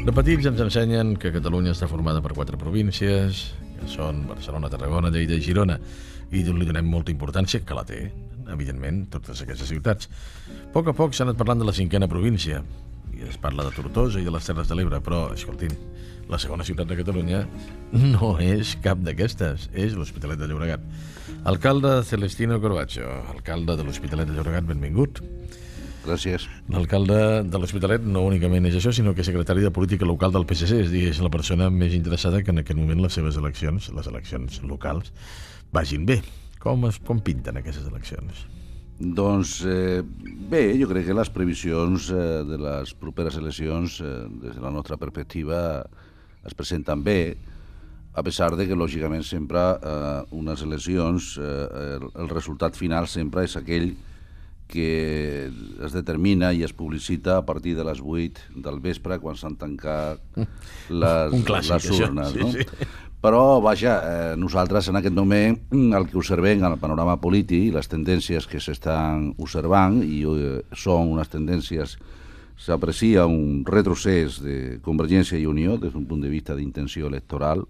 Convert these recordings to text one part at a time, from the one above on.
De petits ens ensenyen que Catalunya està formada per 4 províncies, que són Barcelona, Tarragona, Lleida i Girona, i li donem molta importància, que la té, evidentment, totes aquestes ciutats. A poc s'ha anat parlant de la 5a província, i es parla de Tortosa i de les Terres de l'Ebre, però, escoltin, la segona ciutat de Catalunya no és cap d'aquestes, és l'Hospitalet de Llobregat. Alcalde Celestino Corbacho, alcalde de l'Hospitalet de Llobregat, benvingut. Gràcies. L'alcalde de l'Hospitalet no únicament és això, sinó que és secretari de Política Local del PSC, és la persona més interessada que en aquest moment les seves eleccions, les eleccions locals, vagin bé. Com pinten aquestes eleccions? Doncs bé, jo crec que les previsions de les properes eleccions, des de la nostra perspectiva, es presenten bé, a pesar de que, lògicament, sempre unes eleccions, el resultat final sempre és aquell que es determina i es publicita a partir de les 8 del vespre, quan s'han tancat les urnes. No? Sí. Però, vaja, nosaltres en aquest moment el que observem en el panorama polític, les tendències que s'estan observant, i són unes tendències, s'aprecia un retrocés de Convergència i Unió des d'un punt de vista d'intenció electoral,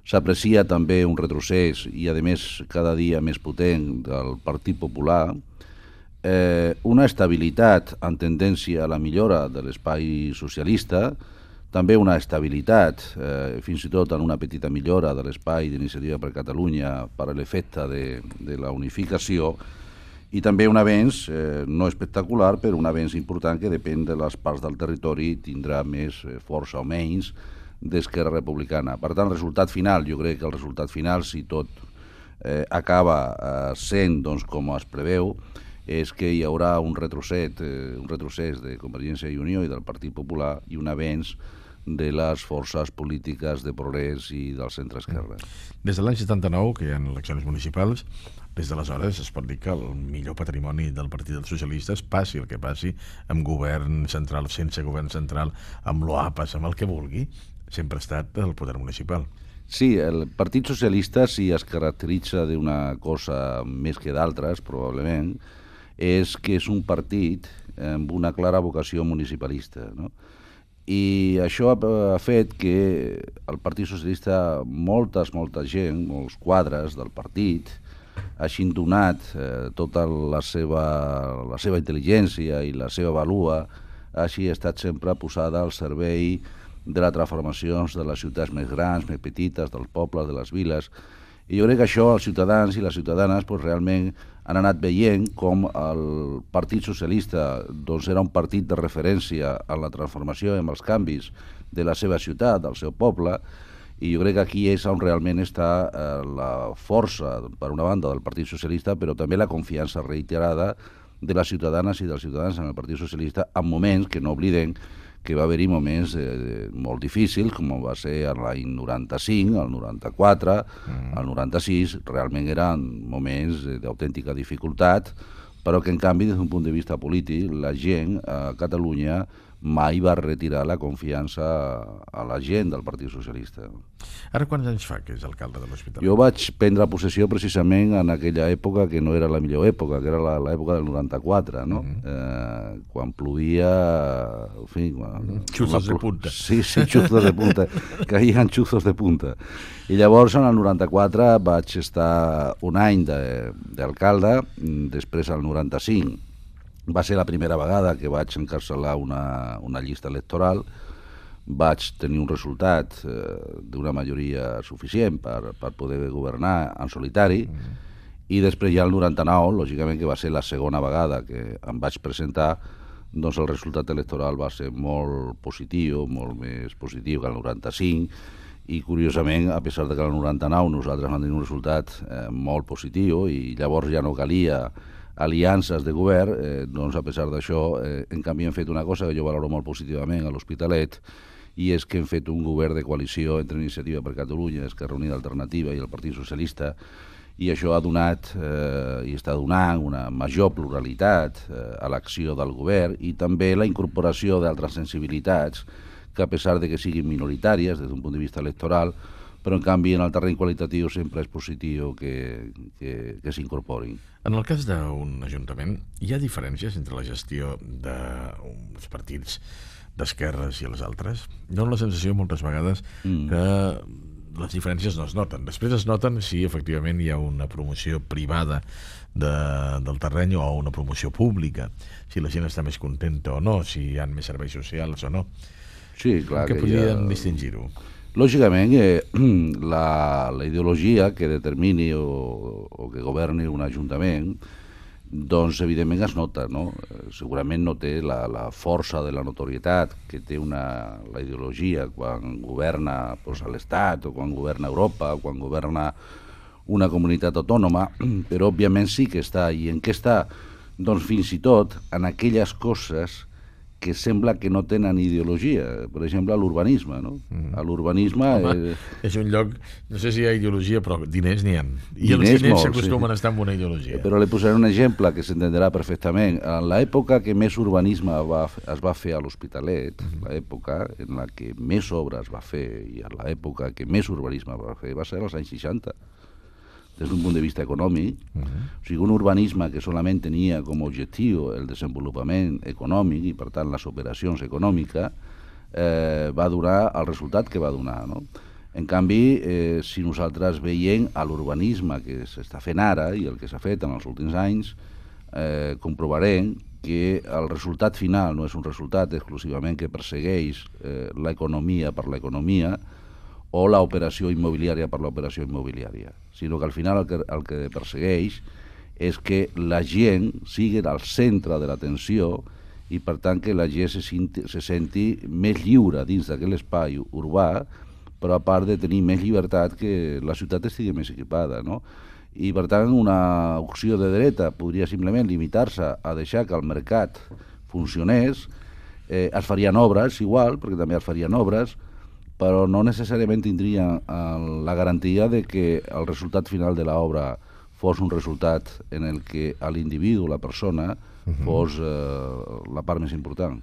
s'aprecia també un retrocés, i a més cada dia més potent, del Partit Popular, una estabilitat en tendència a la millora de l'espai socialista, també una estabilitat, fins i tot en una petita millora de l'espai d'Iniciativa per Catalunya per a l'efecte de la unificació, i també un avenç, no espectacular, però un avenç important que depèn de les parts del territori, tindrà més força o menys d'Esquerra Republicana. Per tant, el resultat final, jo crec que el resultat final, si tot acaba sent com es preveu, és que hi haurà un retrocés de Convergència i Unió i del Partit Popular i un avenç de les forces polítiques de progrés i del centre-esquerra. Des de l'any 79, que hi ha eleccions municipals, des d'aleshores es pot dir que el millor patrimoni del Partit dels Socialistes, passi el que passi, amb govern central, sense govern central, amb l'OAPAS, amb el que vulgui, sempre ha estat el poder municipal. Sí, el Partit Socialista, si es caracteritza d'una cosa més que d'altres, probablement, és que és un partit amb una clara vocació municipalista, no? I això ha fet que el Partit Socialista, molta gent, molts quadres del partit, hagin donat tota la seva intel·ligència i la seva vàlua, hagi estat sempre posada al servei de les transformacions de les ciutats més grans, més petites, dels pobles, de les viles. I jo crec que això els ciutadans i les ciutadanes realment han anat veient com el Partit Socialista era un partit de referència en la transformació i en els canvis de la seva ciutat, del seu poble, i jo crec que aquí és on realment està la força, per una banda, del Partit Socialista, però també la confiança reiterada de les ciutadanes i dels ciutadans en el Partit Socialista, en moments que no oblidem que va haver-hi moments molt difícils, com va ser l'any 95, el 94, el 96, realment eren moments d'autèntica dificultat, però que en canvi, des d'un punt de vista polític, la gent a Catalunya mai va retirar la confiança a la gent del Partit Socialista. Ara quants anys fa que és alcalde de l'Hospitalet? Jo vaig prendre possessió precisament en aquella època que no era la millor època, que era l'època del 94, no? Quan plovia... En fi, xuzos de punta. Sí, xuzos de punta. Caien xuzos de punta. I llavors, en el 94, vaig estar un any d'alcalde, després al 95 va ser la primera vegada que vaig encapçalar una llista electoral, vaig tenir un resultat d'una majoria suficient per poder governar en solitari, i després ja el 99, lògicament que va ser la segona vegada que em vaig presentar, doncs el resultat electoral va ser molt positiu, molt més positiu que el 95, i curiosament, a pesar de que el 99 nosaltres vam tenir un resultat molt positiu i llavors ja no calia aliances de govern, doncs a pesar d'això, en canvi hem fet una cosa que jo valoro molt positivament a l'Hospitalet, i és que hem fet un govern de coalició entre Iniciativa per Catalunya, Esquerra Unida Alternativa i el Partit Socialista, i això ha donat i està donant una major pluralitat a l'acció del govern i també la incorporació d'altres sensibilitats que, a pesar de que siguin minoritàries des d'un punt de vista electoral, però en canvi en el terreny qualitatiu sempre és positiu que s'incorporin. En el cas d'un ajuntament, hi ha diferències entre la gestió d'uns partits d'esquerres i els altres? Dono la sensació moltes vegades que les diferències no es noten. Després es noten si efectivament hi ha una promoció privada del terreny o una promoció pública, si la gent està més contenta o no, si hi ha més serveis socials o no. Sí, clar. Que podríem distingir-ho? Lògicament, la ideologia que determini o que governi un ajuntament, doncs evidentment es nota, no? Segurament no té la força de la notorietat que té la ideologia quan governa a l'Estat o quan governa Europa o quan governa una comunitat autònoma, però òbviament sí que està. I en què està? Doncs fins i tot en aquelles coses que sembla que no tenen ideologia. Per exemple, l'urbanisme, no? L'urbanisme... És un lloc, no sé si hi ha ideologia, però diners n'hi ha. I els diners s'acostumen a estar amb una ideologia. Però li posaré un exemple que s'entendrà perfectament. En l'època que més urbanisme es va fer a l'Hospitalet, l'època en la que més obres va fer i en l'època que més urbanisme va fer va ser als anys 60. Des d'un punt de vista econòmic, o sigui, un urbanisme que solament tenia com a objectiu el desenvolupament econòmic i, per tant, les operacions econòmiques, va donar el resultat que va donar, no? En canvi, si nosaltres veiem a l'urbanisme que s'està fent ara i el que s'ha fet en els últims anys, comprovarem que el resultat final no és un resultat exclusivament que persegueix l'economia per l'economia, o l'operació immobiliària per l'operació immobiliària, sinó que al final el que persegueix és que la gent sigui al centre de l'atenció i per tant que la gent se senti més lliure dins d'aquell espai urbà, però a part de tenir més llibertat que la ciutat estigui més equipada, no? I per tant una opció de dreta podria simplement limitar-se a deixar que el mercat funcionés, es farien obres igual, perquè també es farien obres, però no necessàriament tindria la garantia de que el resultat final de l'obra fos un resultat en el que l'individu, la persona, fos la part més important.